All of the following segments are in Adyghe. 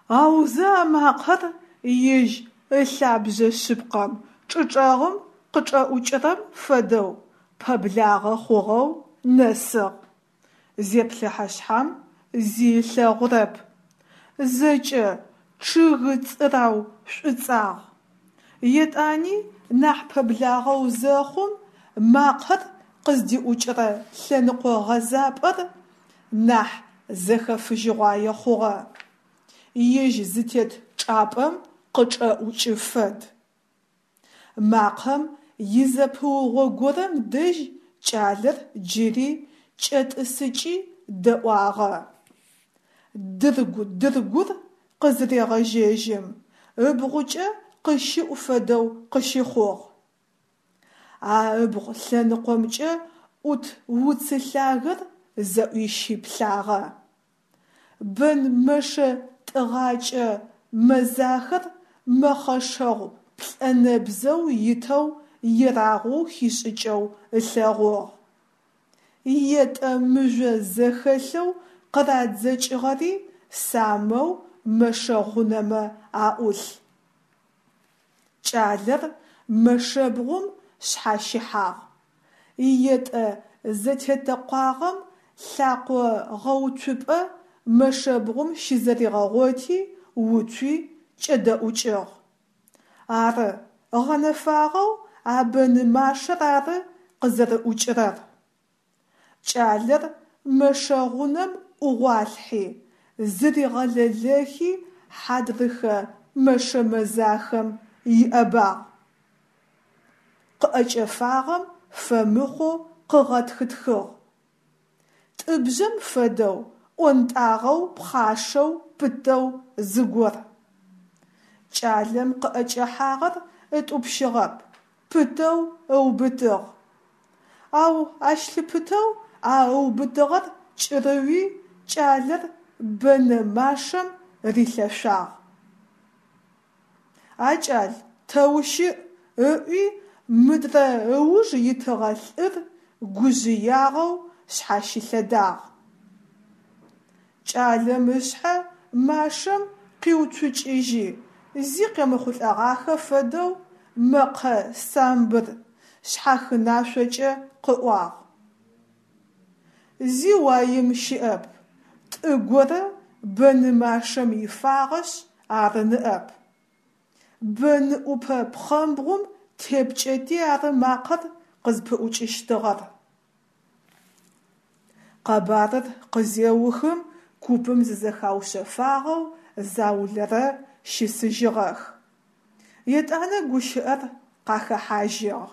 Аузэ а макъэр ежь ылъабжъэ шъыпкъэм, чӏычӏэгъым къычӏэӏукӏырэм фэдэу, пэблагъэ хъугъэу нэсыгъ. Зеплъыхьэ шъхьам зи ылъэгъурэп. Зэкӏэ чъыгы цӏырау шӏуцӏагъ. Етӏани нахь пэблагъэу зэхъум, макъэр къыздиӏукӏырэ лъэныкъо гъэзапӏэр нахь зэхэфыжьыгъуае хъугъэ. Ежь зытет чӏапӏэм къычӏэӏукӏы фэд. Макъэм изэпыугъо горэм дэжь кӏалэр джыри кӏэтӏысыкӏи дэӏуагъэ. Дыргу-дыргур къызырегъэжьэжьым, ыбгъукӏэ къыщыӏу фэдэу къыщыхъугъ. А ыбгъу лъэныкъомкӏэ ӏут уцы лъагэр зэӏуищи плъагъэ. Бэн мэшэ тӏыгъакӏэ мэзахэр мэхъэшэгъу плӏэнэбзэу итэу ерагъоу хишӏыкӏэу ылъэгъугъ. Етӏэ мыжъо зэхэлъэу къырадзэкӏыгъэри самэу мэшэ гъунэмэ аӏулъ. Кӏалэр мэшэбгъум шъхьащыхьагъ. Етӏэ зэтетэкъуагъэм лъакъо гъэуцупӏэ мэшэбгъум щызэригъэгъоти, уцуи кӏэдэӏукӏыгъ. Ары, гъэнэфагъэу а бэны машэр ары къызэрыӏукӏырэр. Кӏалэр мэшэ гъунэм ӏугъуалъхьи, зыригъэлэлэхи хьадрыхэ мэшэ мэзахэм иӏэбагъ. Къыӏэкӏэфагъэм фэмыхъоу къыгъэтхытхыгъ. Тӏыбжъэм фэдэу ӏонтӏагъэу пхъашэу пытэу зыгор. Кӏалэм къыӏэкӏэхьагъэр ытӏупщыгъэп, пытэу ыубытыгъ. Ау ащ лъыпытэу а ыубытыгъэр кӏырыуи кӏалэр бэнэ машэм рилъэшъуагъ. А кӏал, тэ ущыӏ? ыӏуи мыдрэ ыуж итыгъэ лӏыр гужъыягъэу шъхьащылъэдагъ. Кӏалэм ышъхьэ машэм къиуцукӏыжьи, зи къемыхъулӏэгъахэ фэдэу мэкъэ самбыр шъхьахынашъокӏэ къыӏуагъ. Зи уаим щыӏэп, тӏы горэ бэны машэм ифагъэшъ ары ныӏэп. Бэны ӏупэ пхъэмбгъум тепкӏэти ары макъэр къызпыӏукӏыщтыгъэр. Къэбарыр къызеухым купым зызэхаушъэфагъэу заулэрэ щысыжьыгъэх. Етӏанэ гущыӏэр къахэхьажьыгъ.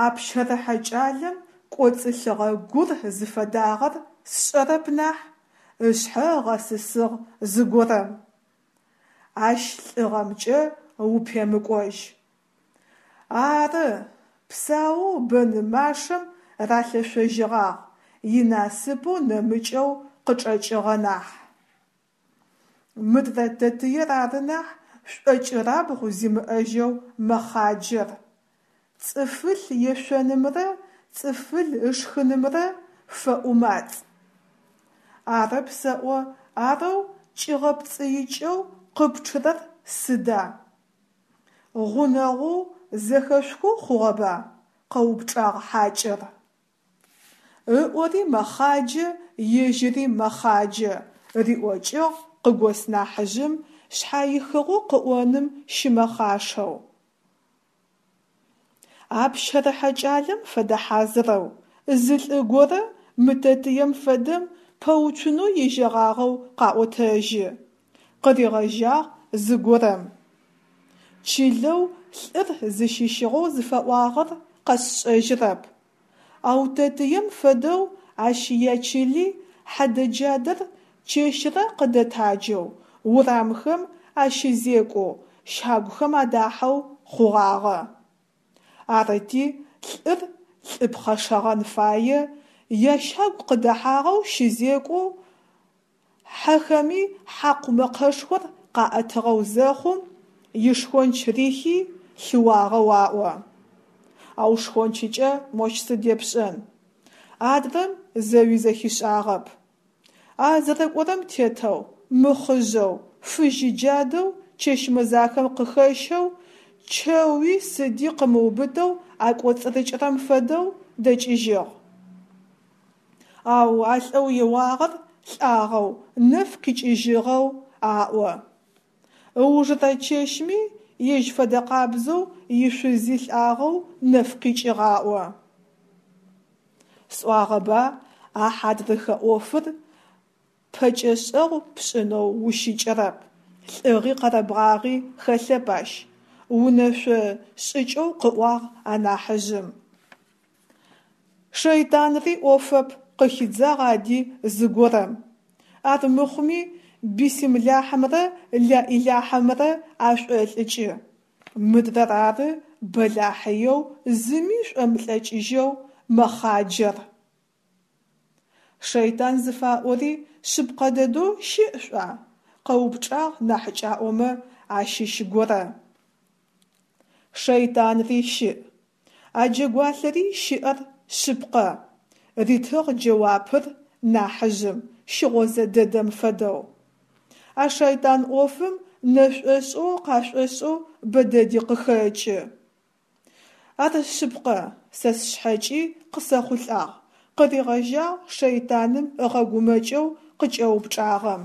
А пщэрыхьэ кӏалэм кӏоцӏылъыгъэ гур зыфэдагъэр сшӏэрэп нахь, ышъхьэ ыгъэсысыгъ зыгорэм. Ащ лӏыгъэмкӏэ упемыкӏожь. Ары, псаоу бэны машэм ралъэшъожьыгъагъ, инасыпэу нэмыкӏэу къычӏэкӏыгъэ нахь. Мыдрэ тэтыер ары нахь шӏокӏырабгъу зимыӏэжьэу мэхъаджэр. Цӏыфыл ешъонымрэ цӏыфыл ышхынымрэ фэӏумацӏ. Арэп сэӏо, арэу кӏигъэпцӏыикӏэу къыпчъырэр сыда? Гъунэгъоу зэхэшъухэу хъугъэба? къэупчӏагъ хьакӏэр. Ыӏори мэхъаджэ, ежьыри мэхъаджэ, риӏокӏыгъ къыгос нахьыжъым шъхьаихыгъэу къыӏоным щымэхъашэу. А пщэрыхьэ кӏалэм фэдэ хьазырэу, зы лӏы горэ мы тэтыем фэдэм пэуцунэу ежьэгъагъэу къаӏотэжьы. Къыригъэжьагъ зыгорэм. Чылэу лӏыр зыщыщыгъэу зыфэӏуагъэр къэсшӏэжьырэп. Ау тэтыем фэдэу ащ ячыли хьэдэ-джадэр чэщрэ къыдэтаджэу, урамхэм ащызекӏоу, щагухэм адахьэу хъугъагъэ. Арыти, лӏыр лӏы пхъэшэгъэн фае, ящагу къыдэхьагъэу щызекӏоу, хьэхэми хьакъу мэкъэшхор къаӏэтыгъэу зэхъум, ишхонч рихи, лъыуагъэу аӏо. Ау шхончыкӏэ мощ сыд епшӏэн? Адрэм зэуи зэхишӏагъэп. А зэрэкӏорэм тетэу, мыхъыжъэу, фыжьы джадэу чэщ мэзахэм къыхэщэу, чэуи сыди къымыубытэу акӏоцӏырыкӏырэм фэдэу дэкӏыжьыгъ. Ау а лӏэу еуагъэр лӏагъэу, нэф къикӏыжьыгъэу аӏо. Ыужырэ чэщми ежь фэдэкъабзэу ишъузи лӏагъэу нэф къикӏыгъ аӏо. Сӏуагъэба а хьадрыхэ ӏофыр пэкӏэшӏэгъу пшӏынэу ущыкӏэрэп, лӏыгъи къэрэбгъагъи хэлъэп ащ, унэшъо шӏыкӏэу къыӏуагъ анахьыжъым. Шэйтанри ӏофэп, къыхидзагъ ади зыгорэм. Армыхъуми бисымлахьымрэ лаӏилахьымрэ ашӏолӏыкӏы. Мыдрэр ары бэлахьыеу зыми шӏомылӏыкӏыжьэу мэхъаджэр. Шэйтан зыфаӏори шъыпкъэ дэдэу щыӏ шъуӏуа? Къэупчӏагъ нахьыкӏаӏомэ ащыщ горэ. Шэйтанри щыӏ, а джэгуалъэри щыӏэр шъыпкъэ, ритыгъ джэуапыр нахьыжъым, щыгъозэ дэдэм фэдэу. А шэйтан ӏофым нэшӏошӏэу къашӏошӏэу бэ дэди къыхэкӏы. Ар шъыпкъэ, сэ сшъхьэкӏи къысэхъулӏагъ, къыригъэжьагъ шэйтаным ыгъэгумэкӏэу къыкӏэупчӏагъэм.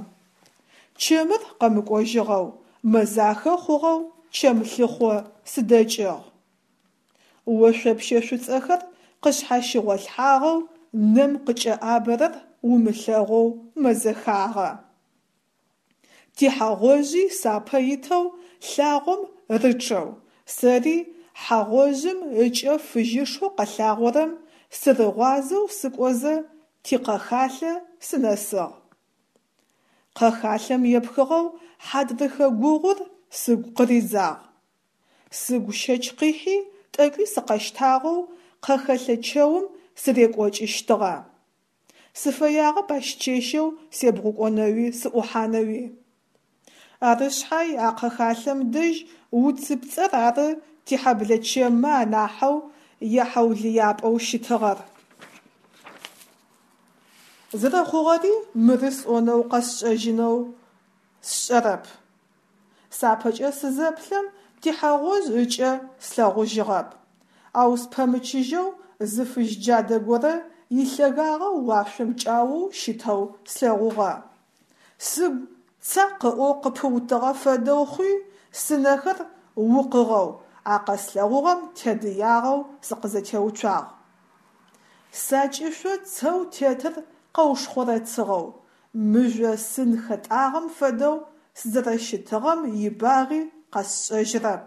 Чэмыр къэмыкӏожьыгъэу, мэзахэ хъугъэу чэм лъыхъо сыдэкӏыгъ. Ошъопщэ шӏуцӏэхэр къышъхьащыгъолъхьагъэу, нэм къыкӏэӏабэрэр умылъэгъоу мэзэхагъэ. Тихьэ гъожъи сапэ итэу лъагъом рычъэу, сэри хьэ гъожъым ыкӏэ фыжьышэу къэлъагъорэм сырыгъуазэу сыкӏозэ тикъэхалъэ сынэсыгъ. Къэхалъэм епхыгъэу хьадрыхэ гугъур сыгу къыридзагъ. Сыгу щэч къихьи, тӏэкӏуи сыкъэщтагъэу къэхэлъэ чэум сырекӏокӏыщтыгъэ. Сыфэягъэп ащ чэщэу себгъукӏонэуи сыӏухьанэуи. Ары шъхьай а къэхалъэм дэжь уцыпцӏэр ары тихьэблэ чэммэ анахьэу яхьаулыяпӏэу щытыгъэр. Зэрэхъугъэри мыры сӏонэу къэсшӏэжьынэу сшӏэрэп. Сапэкӏэ сызэплъэм тихьэ гъожъ ыкӏэ слъэгъужьыгъэп, ау спэмычыжьэу зы фыжь джадэ горэ илъэгагъэ уашъом кӏаоу щытэу слъэгъугъэ. Сыгу цакъ ыӏоу къыпыутыгъэ фэдэу хъуи, сынэхэр укъыгъэу, а къэслъэгъугъэм тедыягъэу сыкъызэтеуцуагъ. Сакӏышъо цэу тетыр къэушхъорэцыгъэу, мыжъо сын хэтӏагъэм фэдэу сызэрэщытыгъэм ибагъи къэсшӏэжьырэп.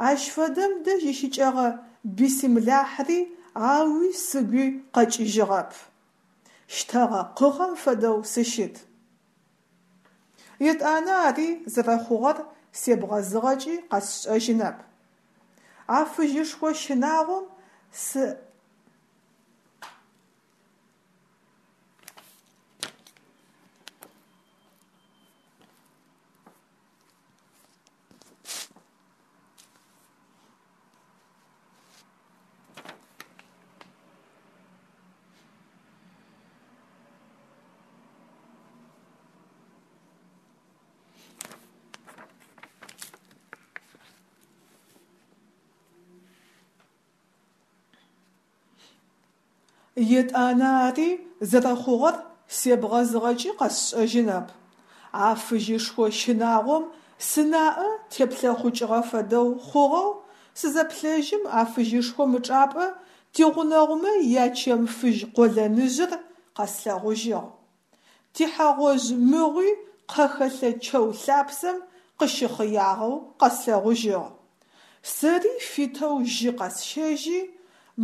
Ащ фэдэм дэжь ищыкӏэгъэ бисымлахьри ауи сыгуи къэкӏыжьыгъэп. Щтэгъэ къыгъэм фэдэу сыщыт. Етӏанэ ари зэрэхъугъэр себгъэзыгъэкӏи къэсшӏэжьынэп. А фыжьышхо щынагъом сы. Етӏанэ ари зэрэхъугъэр себгъэзыгъэкӏи къэсшӏэжьынэп. А фыжьышхо щынагъом сынаӏэ теплъэхъукӏыгъэ фэдэу хъугъэу, сызэплъэжьым а фыжьышхом ычӏапӏэ тигъунэгъумэ ячэм фыжь къолэныжъыр къэслъэгъужьыгъ. Тихьэ гъожъ мыгъуи къэхэлъэ чэу лъапсэм къыщыхъыягъэу къэслъэгъужьыгъ. Сэри фитэу жьы къэсщэжьи,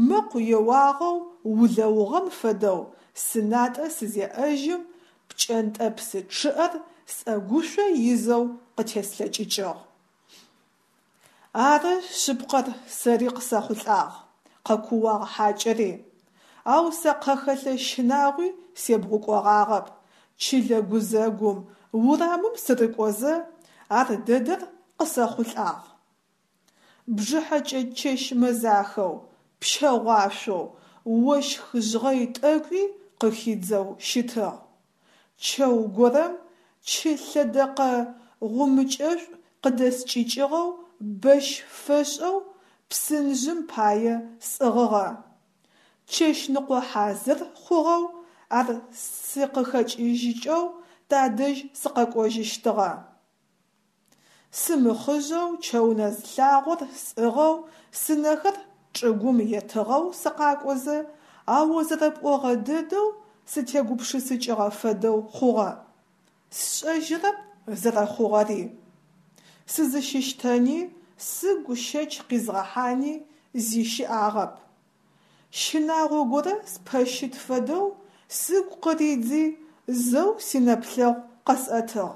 мэкъу еуагъэу улэугъэм фэдэу сынатӏэ сызеӏэжьым, пкӏэнтӏэпсы чъыӏэр сӏэгушъо изэу къытеслъэкӏыкӏыгъ. Ары шъыпкъэр сэри къысэхъулӏагъ, къэкууагъ хьакӏэри. Ау сэ къэхэлъэ щынагъуи себгъукӏогъагъэп, чылэ гузэгум, урамым сырыкӏозэ, ар дэдэр къысэхъулӏагъ. Бжыхьэкӏэ чэщ мэзахэу, пщэгъуашъоу, ощх жъгъэй тӏэкӏуи къыхидзэу щытыгъ. Чэу горэм Чы лъэдэкъэ гъумыкӏэшӏу къыдэскӏыкӏыгъэу бэщ фэшӏэу псынжъым пае сӏыгъыгъэ. Чэщныкъо хьазыр хъугъэу ар сыкъыхэкӏыжьыкӏэу тадэжь сыкъэкӏожьыщтыгъэ. Сымыхъыжъэу чэунэз лъагъор сӏыгъэу, сынэхэр чӏыгум етыгъэу сыкъакӏозэ, а о зэрэпӏогъэ дэдэу сытегупшысыкӏыгъэ фэдэу хъугъэ. Сшӏэжьырэп зэрэхъугъэри. Сызыщыщтэни, сыгу щэч къизгъэхьани зи щыӏагъэп. Щынагъо горэ спэщыт фэдэу сыгу къыридзи, зэу синэплъэгъу къэсӏэтыгъ.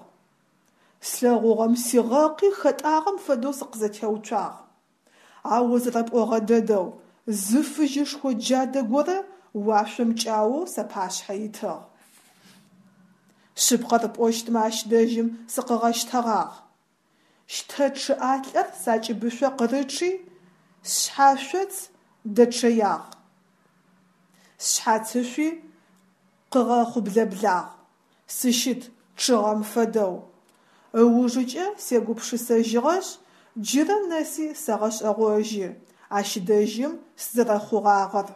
Слъэгъугъэм сигъэкъи хэтӏагъэм фэдэу сыкъызэтеуцуагъ. А о зэрэпӏогъэ дэдэу, зы фыжьышхо джадэ горэ уашъом кӏаоу сапашъхьэ итыгъ. Шъыпкъэр пӏощтмэ ащ дэжьым сыкъыгъэщтэгъагъ. Щтэ чъыӏалӏэр сакӏыбышъо къырычъи, сшъхьашъоц дэчъэягъ. Сшъхьацышъуи къыгъэхъублэблагъ, сыщыт чъыгъэм фэдэу. Ыужыкӏэ сегупшысэжьыгъэшъ, джырэ нэси сэгъэшӏэгъожьы ащ дэжьым сызэрэхъугъагъэр.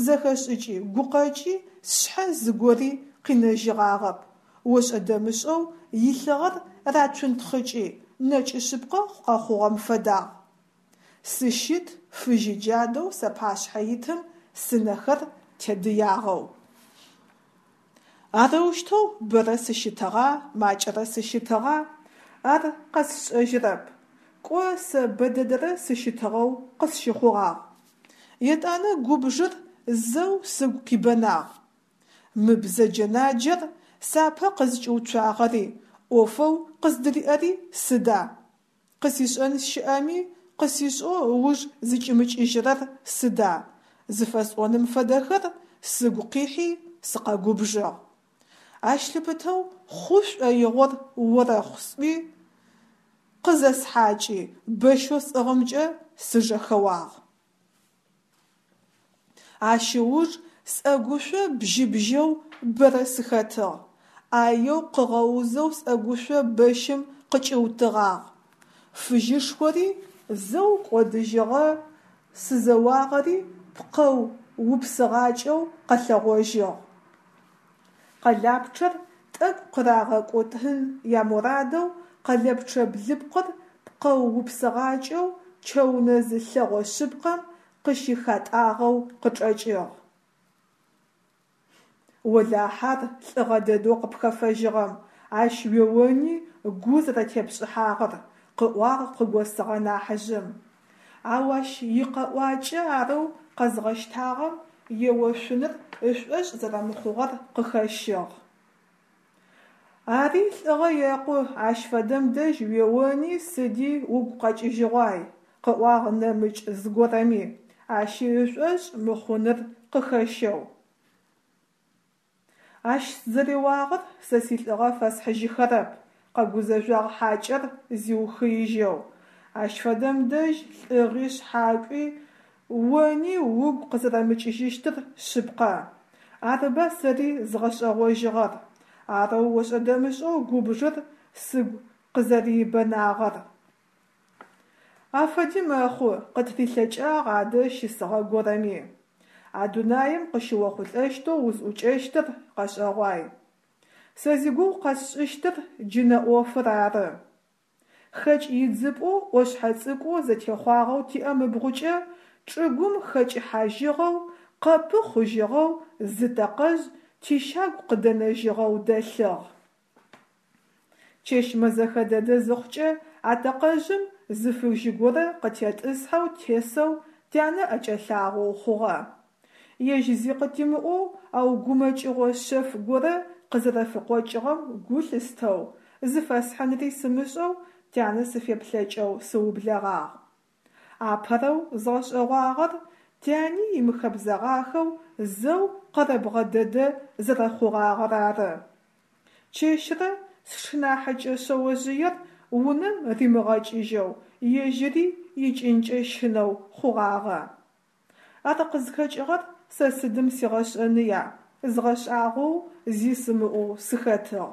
Зэхэшӏыкӏи гукъэкӏи сшъхьэ зыгори къинэжьыгъагъэп, ошӏэ-дэмышӏэу илъыгъэр рацунтхъыкӏи, нэкӏы шъыпкъэ къэхъугъэм фэдагъ. Сыщыт фыжьы джадэу сапашъхьэ итым сынэхэр тедыягъэу. Арэущтэу бэрэ сыщытыгъа, макӏэрэ сыщытыгъа, ар къэсшӏэжьырэп. Кӏо, сэ бэдэдэрэ сыщытыгъэу къысщыхъугъагъ. Етӏанэ губжыр зэу сыгу къибэнагъ. Мы бзэджэ-наджэр сапэ къызкӏиуцуагъэри, ӏофэу къыздыриӏэри сыда? Къысишӏэн щыӏэми, къысишӏэу ыуж зыкӏимыкӏыжьырэр сыда? Зыфэсӏоным фэдэхэр сыгу къихьи, сыкъэгубжыгъ. Ащ лъыпытэу хъу шӏоигъор орэхъу сӏуи, къызэсхьакӏи, бэщэу сӏыгъымкӏэ сыжэхэуагъ. Ащ ыуж сӏэгушъо бжьыбжьэу бэрэ сыхэтыгъ, ӏаеу къыгъэузэу сӏэгушъо бэщым къыкӏиутыгъагъ. Фыжьышхори зэу кӏодыжьыгъэ, сызэуагъэри пкъэу упсыгъакӏэу къэлъэгъожьыгъ. Къэлапчъэр тӏэкӏу къырагъэкӏотын ямурадэу къэлэпчъэ блыпкъыр пкъэу упсыгъакӏэу чэунэзы лъэгъо шъыпкъэм къыщыхатӏагъэу къычӏэкӏыгъ. Олахьэ ар лӏыгъэ дэдэу къыпхэфэжьыгъэм, ащ уеони гу зэрэтепшӏыхьагъэр, къыӏуагъ къыгосыгъэ нахьыжъым. Ау ащ икъэӏуакӏэ арэу къэзгъэщтагъэм еошъуныр ышӏошъ зэрэмыхъугъэр къыхэщыгъ. Ари лӏыгъэ екъу, ащ фэдэм дэжь уеони сыди угу къэкӏыжьыгъуай, къыӏуагъ нэмыкӏ зыгорэми, ащи ышӏошъ мыхъуныр къыхэщэу. Ащ сызэреуагъэр сэ силӏыгъэ фэсхьыжьыхэрэп, къэгузэжъуагъ хьакӏэр зиухыижьэу. Ащ фэдэм дэжь лӏыгъи шъхьакӏуи, они угу къызэрэмыкӏыжьыщтыр шъыпкъэ. Арыба сэри згъэшӏэгъожьыгъэр, арэу ошӏэ-дэмышӏэу губжыр сыгу къызэрибэнагъэр. Афэди мэхъу, къытырилъэкӏагъ адэ щысыгъэ горэми. А дунаим къыщыохъулӏэщтэу узӏукӏэщтыр къэшӏэгъуай. Сэ зигугъу къэсшӏыщтыр джынэ ӏофыр ары. Хэкӏ идзыпӏэу ӏошъхьэ цӏыкӏоу зэтехъуагъэу тиӏэм ыбгъукӏэ чӏыгум хэкӏыхьажьыгъэу, къэпы хъужьыгъэу зы тэкъэжъ тищагу къыдэнэжьыгъэу дэлъыгъ. Чэщ мэзэхэ дэдэ зыхъукӏэ а тэкъэжъым зы фыжьы горэ къытетӏысхьэу тесэу тянэ ӏэкӏэлъагъоу хъугъэ. Ежь зи къытимыӏоу, ау гумэкӏыгъо шъэф горэ къызэрэфыкъокӏыгъэм гу лъыстэу, зыфэсхьынри сымышӏэу тянэ сыфеплъэкӏэу сыублэгъагъ. Апэрэу згъэшӏэгъуагъэр тяни имыхэбзэгъахэу зэу къэрэбгъэ дэдэ зэрэхъугъагъэр ары. Чэщрэ сшынахьыкӏэ шъэожъыер унэм римыгъэкӏыжьэу, ежьыри икӏынкӏэ щынэу хъугъагъэ. Ар къызхэкӏыгъэр сэ сыдым сигъэшӏэныя, згъэшӏагъоу зи сымыӏоу сыхэтыгъ.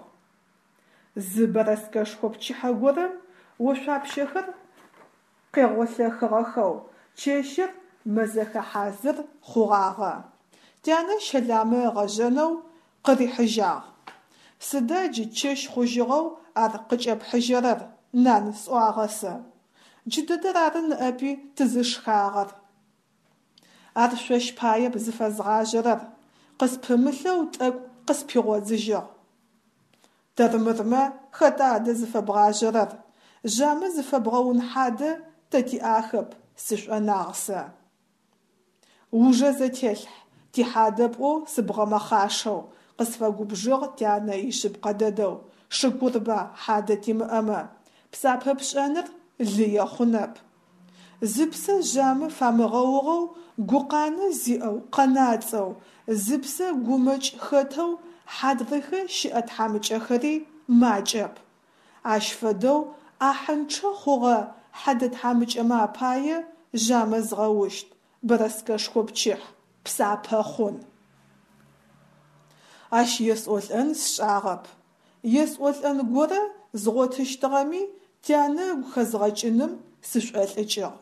Зы бэрэскэшхо пчыхьэ горэм ошъуапщэхэр къегъолъэхыгъэхэу, чэщыр мэзэхэ хьазыр хъугъагъэ. Тянэ щэламэ ыгъэжъэнэу къырихьыжьагъ. Сыда джы чэщ хъужьыгъэу ар къыкӏэпхьыжьэрэр, нан, сӏуагъэ сэ. Джыдэдэр ары ныӏэпи тызышхагъэр. Ар шъощ паеп зыфэзгъажъэрэр, къыспымылъэу тӏэкӏу къыспигъодзыжьыгъ. Тэрмырмэ, хэта адэ зыфэбгъажъэрэр? Жъамэ зыфэбгъэун хьадэ тэ тиӏахэп, сышӏонагъ сэ. Ужэ зэтелъхь, тихьадэ пӏоу сыбгъэмэхъашэу, къысфэгубжыгъ тянэ ишъыпкъэ дэдэу, шыкурба хьадэ тимыӏэмэ, псапэ пшӏэныр лые хъунэп. Зыпсэ жъамэ фамыгъэугъэу, гукъанэ зиӏэу, къэнацӏэу, зыпсэ гумэкӏ хэтэу хьадрыхэ щыӏэ тхьамыкӏэхэри макӏэп. Ащ фэдэу ӏахьынчъэ хъугъэ хьэдэ тхьамыкӏэмэ апае жъамэ згъэущт, бэрэскэшхо пчыхь, псапэ хъун. Ащ есӏолӏэн сшӏагъэп. Есӏолӏэн горэ згъотыщтыгъэми, тянэ ыгу хэзгъэкӏыным сышӏолӏыкӏыгъ.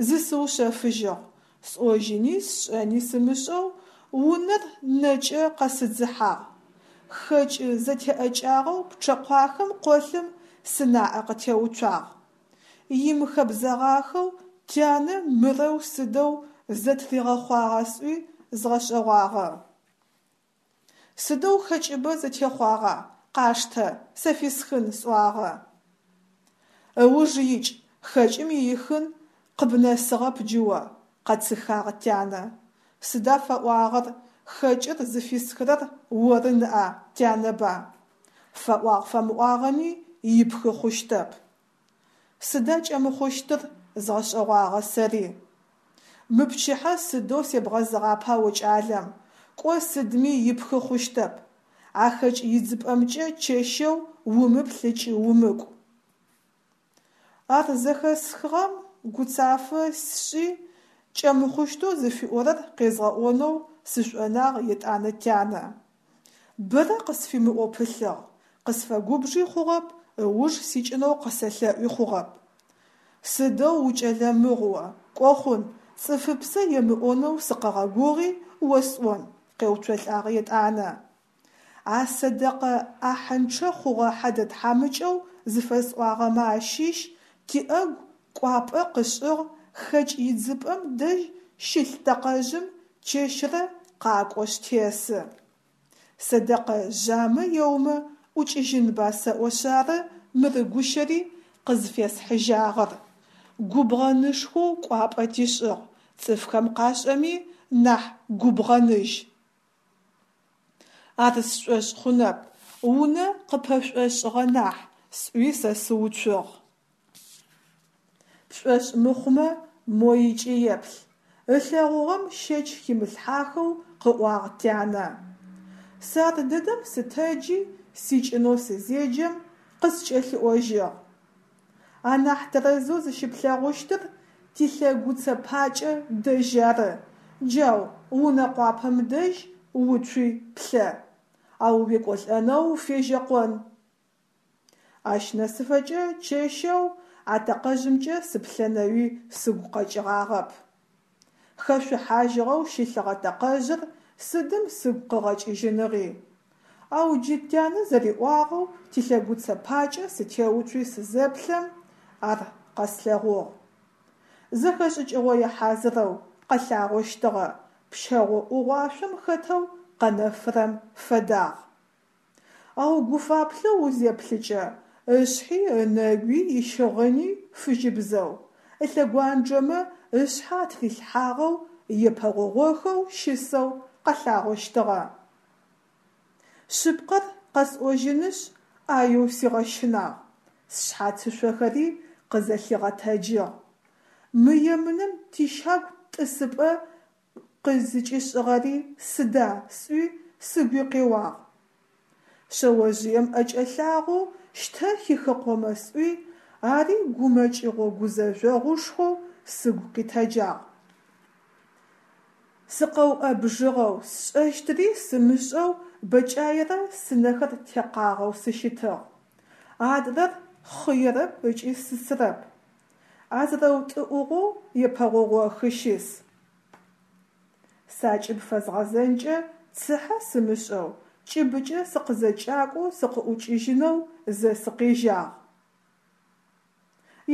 Зысыушъэфыжьыгъ, сӏожьыни сшӏэни сымышӏэу унэр нэкӏэ къэсыдзыхьагъ. Хэкӏы зэтеӏэкӏагъэу пчъэкъуахэм къолъым сынаӏэ къытеуцуагъ. Имыхэбзэгъахэу тянэ мырэу сыдэу зэтригъэхъуагъа сӏуи згъэшӏэгъуагъэ. Сыдэу хэкӏыбэ зэтехъуагъа, къаштэ, сэ фисхын, сӏуагъэ. Ыуж икӏ, хэкӏым иихын къыбнэсыгъэп джы о, къэцыхагъ тянэ. Сыда фэӏуагъэр, хэкӏыр зыфисхырэр оры ныӏа, тянэба? Фэӏуагъ-фэмыӏуагъэми ипхы хъущтэп. Сыда кӏэмыхъущтыр, згъэшӏэгъуагъэ сэри. Мы пчыхьэ сыдэу себгъэзыгъапа о кӏалэм, кӏо сыдми ипхы хъущтэп. А хэкӏ идзыпӏэмкӏэ чэщэу умыплъ ыкӏи умыкӏу. Ар зэхэсхыгъэм гуцафэ сшӏи, кӏэмыхъущтэу зыфиӏорэр къезгъэӏонэу сышӏонагъ етӏанэ тянэ. Бэрэ къысфимыӏоу пылъыгъ, къысфэгубжи хъугъэп, ыуж сикӏынэу къысэлъэӏуи хъугъэп. Сыдэу укӏэлэ мыгъу о, кӏо хъун, цӏыфыпсэ емыӏонэу сыкъэгъэгугъи осӏон, къеуцолӏагъ етӏанэ. А сэдэкъэ ӏахьынчъэ хъугъэ хьэдэ тхьамыкӏэу зыфэсӏуагъэмэ ащыщ тиӏэгу кӏуапӏэ къышӏыгъ хэкӏ идзыпӏэм дэжь щылъ тэкъэжъым чэщрэ къакӏошъ тесы. Сэдэкъэ жъамэ еумэ ӏукӏыжьынба сэӏошъ ары мыры гущэри къызфесхьыжьагъэр. Губгъэнышхоу кӏуапӏэ тишӏыгъ, цӏыфхэм къашӏэми нахь губгъэныжь. Ар сшӏошъ хъунэп, унэ къыпэшӏошӏыгъэ нахь, сӏуи сэ сыуцугъ. Пшӏошъ мыхъумэ, мо икӏи еплъ, ылъэгъугъэм щэч химылъхьахэу къыӏуагъ тянэ. Сэ ар дэдэм сытэджи, сикӏынэу сызеджэм, къыскӏэлъиӏожьыгъ. Анахь тэрэзэу зыщыплъэгъущтыр тилъэгуцэ пакӏэ дэжь ары, джау унэ къуапэм дэжь уцуи плъэ, ау уекӏолӏэнэу уфежьэкъон. Ащ нэсыфэкӏэ чэщэу а тэкъэжъымкӏэ сыплъэнэуи сыгу къэкӏыгъагъэп. Хэшъухьажьыгъэу щылъыгъэ тэкъэжъыр сыдым сыгу къыгъэкӏыжьыныгъи. Ау джы тянэ зэриӏуагъэу тилъэгуцэ пакӏэ сытеуцуи сызэплъэм, ар къэслъэгъугъ. Зэхэшӏыкӏыгъое хьазырэу къэлъагъощтыгъэ, пщэгъо ӏугъуашъом хэтэу къэнэфырэм фэдагъ. Ау гуфаплъэу узеплъыкӏэ, ышъхьи, ынэгуи, ищыгъыни фыжьыбзэу, ылъэгуанджэмэ ышъхьэ атырилъхьагъэу, епэгъогъохэу щысэу къэлъагъощтыгъэ. Шъыпкъэр къэсӏожьынышъ, ӏаеу сигъэщынагъ, сшъхьацышъохэри къызэлъигъэтэджыгъ. Мы емынэм тищагу тӏысыпӏэ къызыкӏишӏыгъэри сыда сӏуи сыгуи къеуагъ. Шъэожъыем ӏэкӏэлъагъэу щтэ хихыкъомэ сӏуи, ари гумэкӏыгъо-гузэжъогъушхоу сыгу къитэджагъ. Сыкъэуӏэбжьыгъэу, сшӏэщтыри сымышӏэу бэкӏаерэ сынэхэр текъагъэу сыщытыгъ. Адрэр хъыерэп ыкӏи сысырэп. А зэрэутӏыӏугъэу епэгъогъохы щыс. Сакӏыб фэзгъэзэнкӏэ цыхьэ сымышӏэу, кӏыбыкӏэ сыкъызэкӏакӏоу сыкъыӏукӏыжьынэу зэ сыкъежьагъ.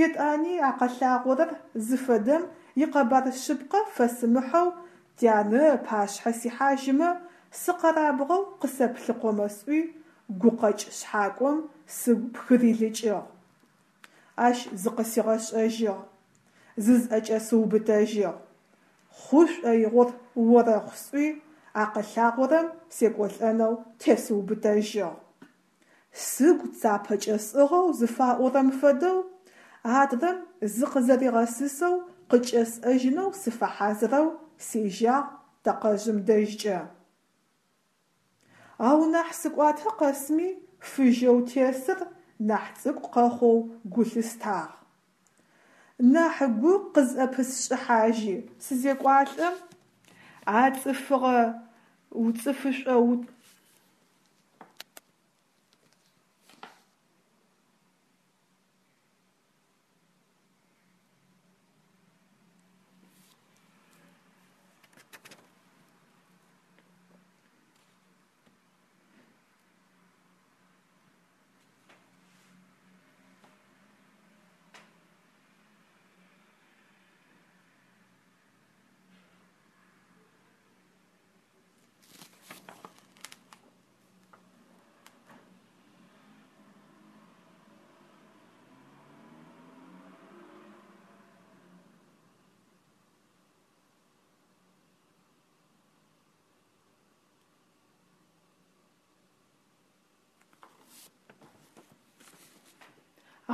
Етӏани а къэлъагъорэр зыфэдэм икъэбар шъыпкъэ фэсымыхьэу тянэ ыпашъхьэ сихьажьымэ, сыкъэрабгъэу къысэплъыкъомэ сӏуи, гукъэкӏ шъхьакӏом сыгу пхырилыкӏыгъ. Ащ зыкъысигъэшӏэжьыгъ, зызӏэкӏэсыубытэжьыгъ. Хъу шӏоигъор орэхъу сӏуи, а къэлъагъорэм секӏолӏэнэу тесыубытэжьыгъ. Сыгу цапэкӏэ сӏыгъэу зыфаӏорэм фэдэу, адрэм зыкъызэригъэсысэу къыкӏэсӏэжьынэу сыфэхьазырэу сежьагъ тэкъэжъым дэжькӏэ. Ау нахь сыкӏуатэ къэсми фыжьэу тесыр нахь цӏыкӏу къэхъоу гу лъыстагъ. Нахь гу къызӏэпысшӏыхьажьи сызекӏуалӏэм, а цӏыфыгъэ цӏыфышӏо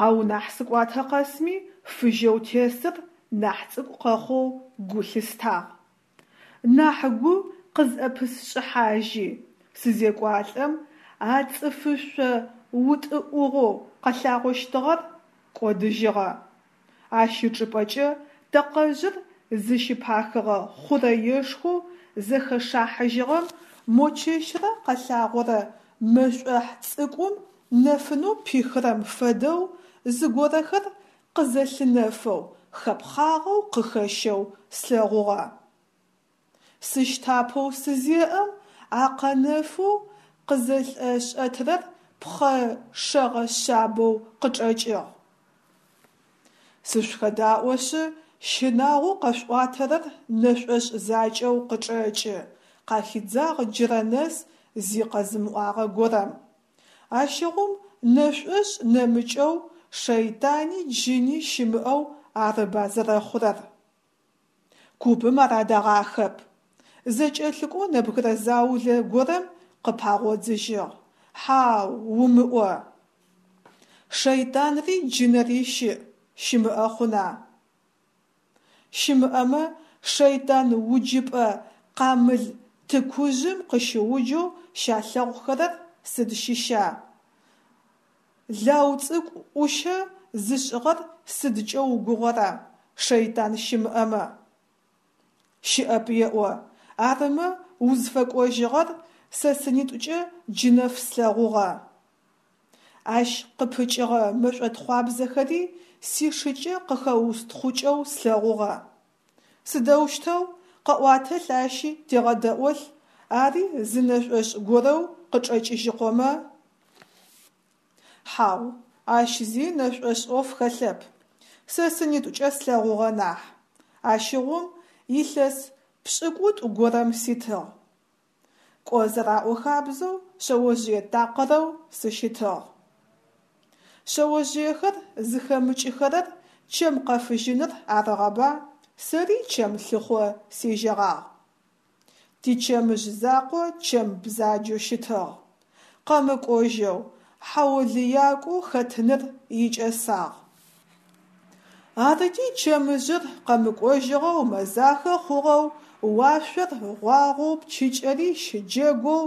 Ау нахь сыкӏуатэ къэсми фыжьэу тесыр нахь цӏыкӏу къэхъоу гу лъыстагъ. Нахь гу къызӏэпысшӏыхьажьи сызекӏуалӏэм, а цӏыфышъо утӏыӏугъэу къэлъагъощтыгъэр кӏодыжьыгъэ. Ащ ычӏыпӏэкӏэ тэкъэжъыр зыщыпахыгъэ хъурэешхоу зэхэшахьыжьыгъэм мо чэщырэ къэлъагъорэ мэшӏохь цӏыкӏум нэфынэу пихырэм фэдэу зыгорэхэр къызэлъынэфэу хэпхъагъэу къыхэщэу слъэгъугъэ. Сыщтапэу сызеӏэм, а къэнэфэу къызэлӏэшӏэтырэр пхъэ шэгъэ шъабэу къычӏэкӏыгъ. Сышъухэдаӏошъы, щынагъоу къэшъуӏуатэрэр нэшӏошӏ закӏэу къычӏэкӏы, къахидзагъ джырэ нэс зи къэзымыӏуагъэ горэм. Ащыгъум нэшӏошӏ нэмыкӏэу шэйтани джыни щымыӏэу арыба зэрэхъурэр. Купым ар адэгъахэп. Зэкӏэлъыкӏоу нэбгырэ заулэ горэм къыпагъодзыжьыгъ: Хьау, умыӏо. Шэйтанри джынэри щыӏ, щымыӏэ хъуна? Щымыӏэмэ, шэйтан уджыпӏэ къамыл тыкужъым къыщыуджэу щалъэгъухэрэр сыд щыща? Лау цӏыкӏу ӏущэ зышӏыгъэр сыдкӏэ угугъэра, шэйтан щымыӏэмэ? Щыӏэп еӏо, арымэ узфэкӏожьыгъэр сэ сынитӏукӏэ джынэф слъэгъугъэ. Ащ къыпыкӏыгъэ мэшӏотхъуабзэхэри сишыкӏэ къыхэустхъукӏэу слъэгъугъэ. Сыдэущтэу, къэӏуатэлъ ащи тегъэдэӏолъ, ари зы нэшӏошӏ горэу къычӏэкӏыжьыкъомэ? Хьау, ащ зи нэшӏошӏ ӏоф хэлъэп, сэ сынитӏукӏэ слъэгъугъэ нахь. Ащыгъум илъэс пшӏыкӏутӏу горэм ситыгъ. Кӏо зэраӏо хабзэу шъэожъые такъырэу сыщытыгъ. Шъэожъыехэр зыхэмыкӏыхэрэр чэм къэфыжьыныр арыгъэба, сэри чэм лъыхъо сежьэгъагъ. Тичэмыжъ закъо чэм бзаджэу щытыгъ. Къэмыкӏожьэу, хьаолыякӏоу хэтыныр икӏэсагъ. Арыти чэмыжъыр къэмыкӏожьыгъэу мэзахэ хъугъэу, уашъор гъуагъоу пчыкӏэри щыджэгоу,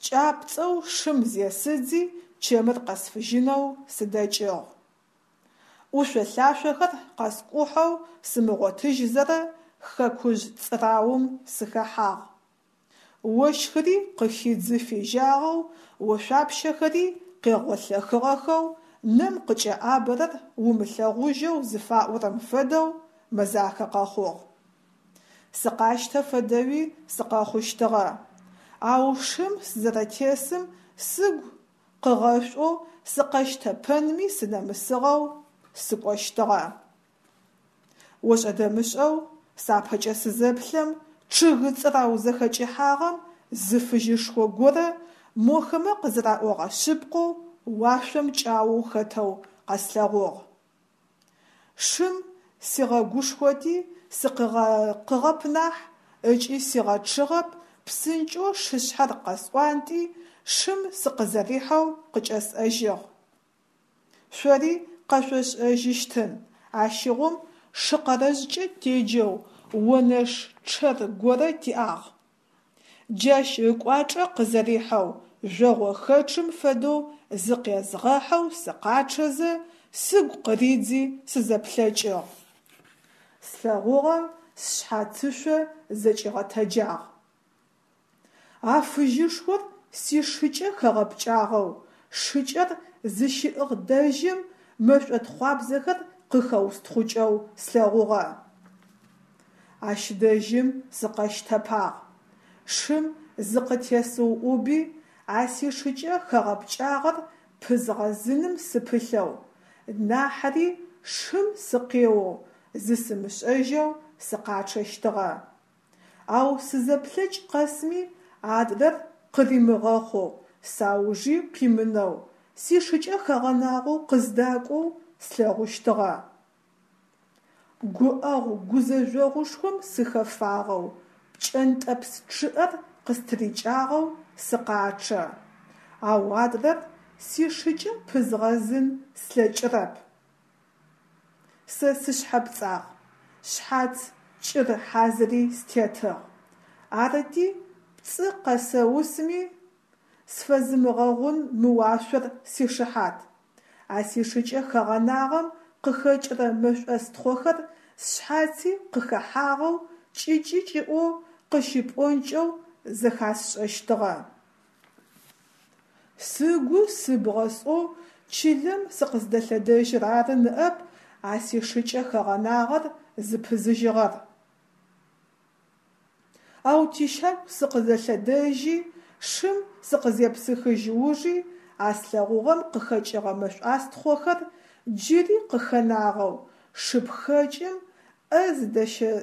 кӏапцӏэу шым зесыдзи чэмыр къэсфыжьынэу сыдэкӏыгъ. ӏушъо-лъашъохэр къэскӏухьэу сымыгъотыжьзэрэ хэкужъ цӏыраум сыхэхьагъ. Ощхыри къыхидзы фежьагъэу, ошъуапщэхэри къегъолъэхыгъэхэу, нэм къыкӏэӏабэрэр умылъэгъужьэу зыфаӏорэм фэдэу мэзахэ къэхъугъ. Сыкъащтэ фэдэуи сыкъэхъущтыгъэ. Ау шым сызэрэтесым сыгу къыгъэшӏоу сыкъэщтэпэнми сынэмысыгъэу сыкӏощтыгъэ. Ошӏэ-дэмышӏэу сапэкӏэ сызэплъэм, чъыг цӏырау зэхэкӏыхьагъэм зы фыжьышхо горэ, мохэмэ къызэраӏогъэ шъыпкъэу, уашъом кӏаоу хэтэу къэслъэгъугъ. Шым сигъэгушхоти, сыкъыгъэкъыгъэп нахь, ыкӏи сигъэчъыгъэп, псынкӏэу шышъхьэр къэсӏуантӏи, шым сыкъызэрихьэу къыкӏэсӏэжьыгъ. Шъори къэшъошӏэжьыщтын, ащыгъум шыкъэрэжъкӏэ теджэу онэш чъэр горэ тиӏагъ. Джащ ыкӏуачӏэ къызэрихьэу, жъогъохэчъым фэдэу зыкъезгъэхьэу сыкъачъэзэ, сыгу къыридзи сызэплъэкӏыгъ. Слъэгъугъэм сшъхьацышъо зэкӏигъэтэджагъ. А фыжьышхор сишыкӏэ хэгъэпкӏагъэу, шыкӏэр зыщиӏыгъ дэжьым мэшӏотхъуабзэхэр къыхэустхъукӏэу слъэгъугъэ. Ащ дэжьым сыкъэщтэпагъ. Шым зыкъытесыуӏуби, а сишыкӏэ хэгъэпкӏагъэр пызгъэзыным сыпылъэу, нахьыри шым сыкъеоу, зысымышӏэжьэу сыкъачъэщтыгъэ. Ау сызэплъэкӏ къэсми адрэр къыримыгъэхъоу, саужи къимынэу, сишыкӏэ хэгъэнагъэу къыздакӏоу слъэгъущтыгъэ. Гуӏэгъу-гузэжъогъушхом сыхэфагъэу, пкӏэнтӏэпс чъыӏэр къыстырикӏагъэу сыкъачъэ. Ау адрэр сишыкӏэ пызгъэзын слъэкӏырэп. Сэ сышъхьэпцӏагъ, шъхьац кӏыр хьазыри стетыгъ. Арыти, пцӏы къэсэусми, сфэзымыгъэгъун мы уашъор сишыхьат. А сишыкӏэ хэгъэнагъэм къыхэкӏырэ мэшӏостхъохэр сшъхьаци къыхэхьагъэу, кӏыкӏы-кӏыӏоу къыщипӏонкӏэу зэхасшӏэщтыгъэ. Сыгу сыбгъэ сӏоу чылэм сыкъыздэлъэдэжьыр ары ныӏэп а сишыкӏэ хэгъэнагъэр зыпызыжьыгъэр. Ау тищагу сыкъыдэлъэдэжьи, шым сыкъызепсыхыжь ужи а слъэгъугъэм къыхэкӏыгъэ мэшӏуастхъохэр джыри къыхэнагъэу, шыпхэкӏым ӏэ зыдэщэ.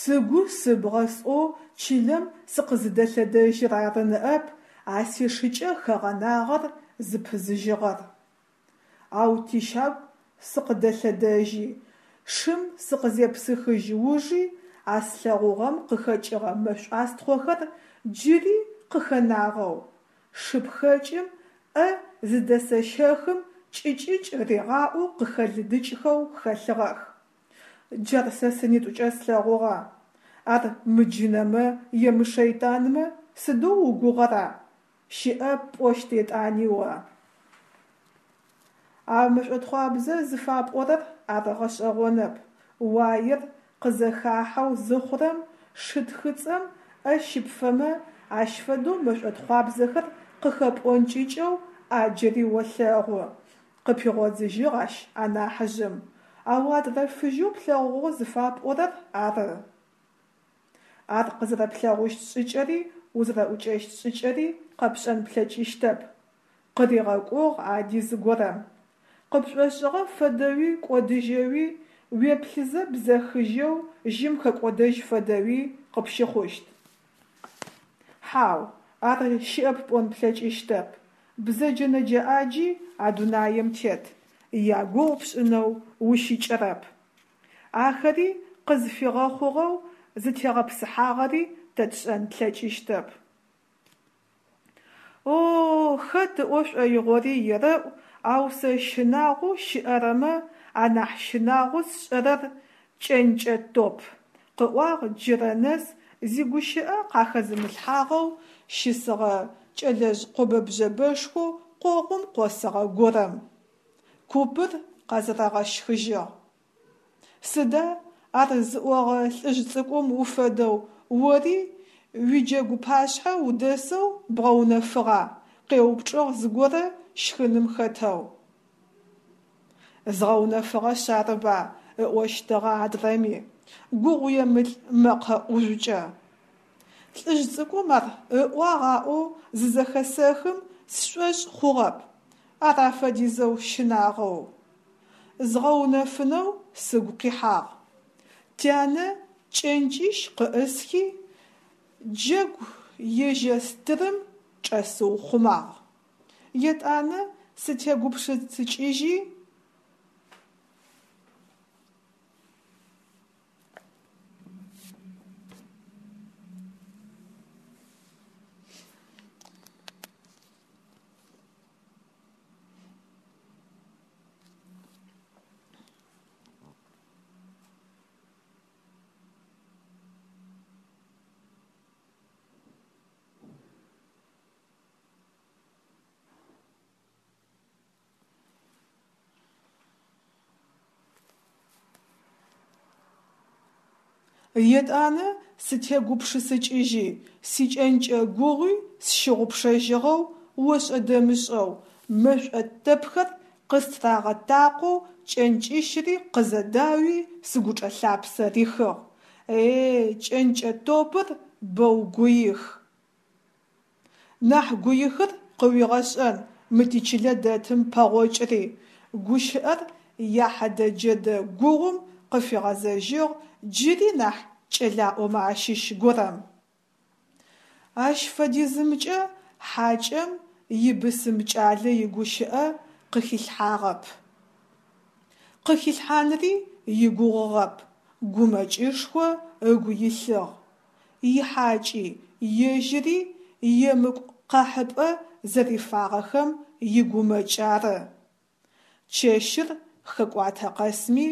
Сыгу сыбгъэ сӏоу чылэм сыкъызыдэлъэдэжьыр ары ныӏэп а сишыкӏэ хэгъэнагъэр зыпызыжьыгъэр. Ау тищагу сыкъыдэлъэдэжьи, шым сыкъызепсыхыжь ужи а слъэгъугъэм къыхэкӏыгъэ мэшӏуастхъохэр джыри къыхэнагъэу, шыпхэкӏым ӏэ зыдэсэщэхым кӏыкӏыкӏ ригъаӏоу къыхэлыдыкӏхэу хэлъыгъэх. Джар сэ сынитӏукӏэ слъэгъугъэ. Ар мыджынэмэ е мышэйтанмэ сыдэу угугъэра? Щыӏэп пӏощт етӏани о. А мэшӏотхъуабзэ зыфапӏорэр ар гъэшӏэгъонэп. Уаер къызэхахьэу зыхъурэм шы тхыцӏэм ӏэ щыпфэмэ, ащ фэдэу мэшӏотхъуабзэхэр къыхэпӏонкӏыкӏэу ӏаджыри олъэгъу. Къыпигъодзыжьыгъ ащ анахьыжъым. Ау адрэ фыжьэу плъэгъугъэу зыфапӏорэр ары. Ар къызэрэплъэгъущт шӏыкӏэри узэрэӏукӏэщт шӏыкӏэри къэпшӏэн плъэкӏыщтэп, къыригъэкӏугъ ади зыгорэм. Къыпшӏошӏыгъэ фэдэуи кӏодыжьэуи, уеплъызэ бзэхыжьэу жьым хэкӏодэжь фэдэуи къыпщыхъущт. Хьау, ар щыӏэп пӏон плъэкӏыщтэп. Бзэджэ-нэджэ ӏаджи а дунаем тет, ягугъу пшӏынэу ущыкӏэрэп. Ахэри къызфигъэхъугъэу зытегъэпсыхьагъэри тэ тшӏэн тлъэкӏыщтэп. О-о, хэт ыӏо шӏоигъори ерэӏу, ау сэ щынагъоу щыӏэрэмэ анахь щынагъоу сшӏэрэр кӏэнкӏэ топ, къыӏуагъ джырэ нэс зигущыӏэ къахэзымылъхьагъэу щысыгъэ кӏэлэжъ къобэ-бжъэбэшхоу къогъум къосыгъэ горэм. Купыр къэзэрэгъэщхыжьыгъ. Сыда, ар зыӏогъэ лӏыжъ цӏыкӏум уфэдэу ори уиджэгу пашъхьэ удэсэу бгъэунэфыгъа? къеупчӏыгъ зыгорэ щхыным хэтэу. Згъэунэфыгъэшъ арыба, ыӏощтыгъэ адрэми, гугъуемылӏ мэкъэ ӏужъукӏэ. Лӏыжъ цӏыкӏум ар ыӏуагъ аӏоу зызэхэсэхым сшӏошъ хъугъэп, ар афэдизэу щынагъоу. Згъэунэфынэу сыгу къихьагъ. Тянэ кӏэнкӏищ къыӏысхи, джэгу ежьэ стырым чӏэсыухъумагъ. Етӏанэ сытегупшысыкӏыжьи. Етӏанэ сытегупшысыкӏыжьи, сикӏэнкӏэ гугъуи сщыгъупшэжьыгъэу ошӏэ-дэмышӏэу мэшӏо тэпхэр къыстырагъэтакъоу кӏэнкӏищыри къызэдауи сыгучӏэ лъапсэ рихыгъ. Е-е, кӏэнкӏэ топыр боу гуих. Нахь гуихыр къыуигъэшӏэн мы тичылэ дэтым пэгъокӏыри, гущыӏэр яхьэдэ-джэдэ гугъум къыфигъэзэжьыгъ джыри нахь кӏэлаӏомэ ащыщ горэм. Ащ фэдизымкӏэ хьакӏэм ибысым кӏалэ игущыӏэ къыхилъхьагъэп. Къыхилъхьанри игугъугъэп, гумэкӏышхо ыгу илъыгъ. Ихьакӏи, ежьыри емыкӏу къэхьыпӏэ зэрифагъэхэм игумэкӏ ары. Чэщыр хэкӏуатэ къэсми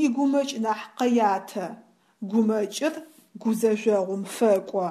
игумэкӏ нахь къэятэ, гумэкӏыр гузэжъогъум фэкӏо.